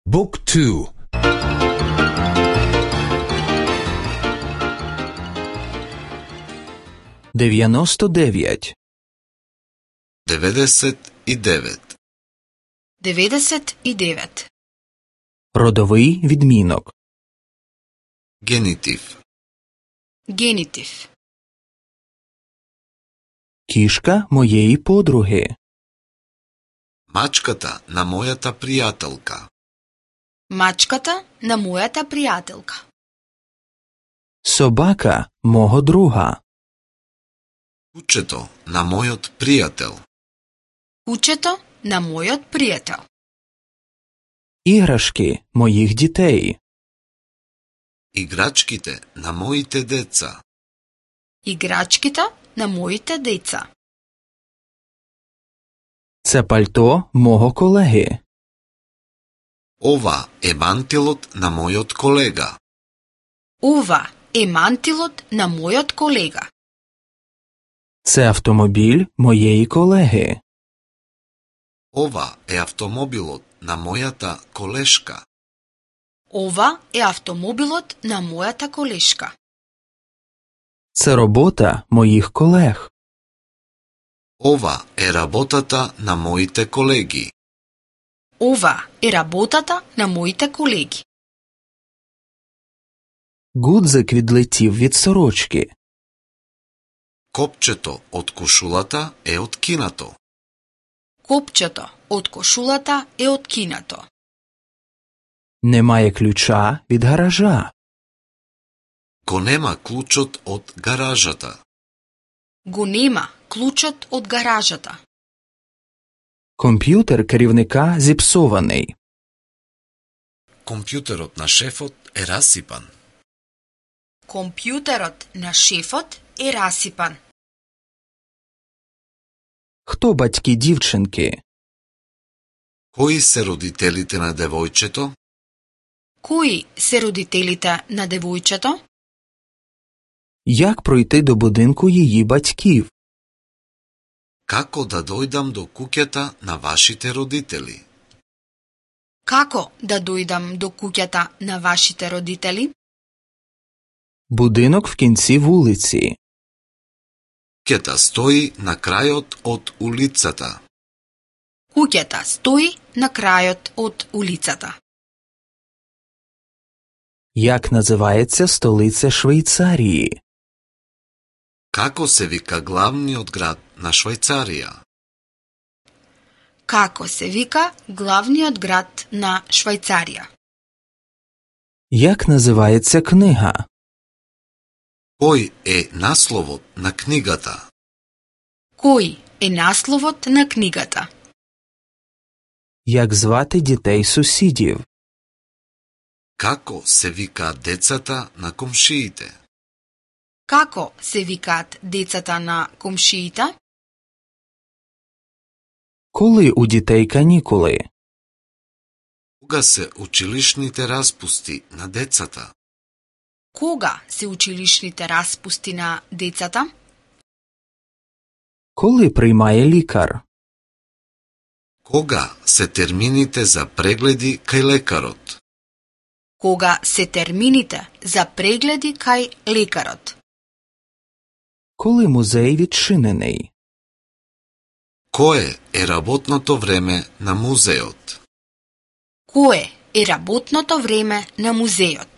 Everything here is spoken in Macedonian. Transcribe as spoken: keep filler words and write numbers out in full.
Book two. дев'яносто дев'ять. деведесет и девет. деведесет и девет. Родовий відмінок. Генитив. Генитив. Кішка моєї подруги. Мачката на мојата пријателка. Мачката на мојата пријателка. Собака мого друга. Кучето на мојот пријател. Кучето на мојот пријател. Іграшки моїх дітей. Играчките на моите деца. Играчките на моите деца. Це пальто мого колеги. Ова е мантилот на мојот колега. Ова е мантилот на мојот колега. Це автомобіль моєї колеги. Ова е автомобилот на мојата колешка. Ова е автомобилот на мојата колешка. Це робота моїх колег. Ова е работата на моите колеги. Ова е работата на моите колеги. Гудзик відлетів від сорочки. Копчето од кошулата е откинато. Копчето од кошулата е откинато. Немає ключа від гаража. Го нема клучот од гаражата. Го нема клучот од гаражата. Комп'ютер керівника зіпсований. Компјутерот на шефот е расипан. Компјутерот на шефот е расипан. Хто батьки дівчинки? Кои се родителите на девојчето? Кои се родителите на девојчето? Як пройти до будинку її батьків? Како да дојдам до куќата на вашите родители? Како да дојдам до куќата на вашите родители? Будинок в кінці вулиці. Куќата стои на крајот од улицата. Куќата стои на крајот од улицата. Як називається столиця Швейцарії? Како се вика главниот град на Швајцарија? Како се вика главниот град на Швајцарија? Як називається книга? Кој е насловот на книгата? Кој е насловот на книгата? Як звати дітей сусідів? Како се викаат децата на комшиите? Како се викаат децата на комшиите? Коли у дітей канікули? Кога се училишните распусти на децата? Кога се училишните распусти на децата? Коли приймає лікар? Кога се термините за прегледи кај лекарот? Кога се термините за прегледи кај лекарот? Коли музей відчинений? Кое е работното време на музеот? Кое е работното време на музеот?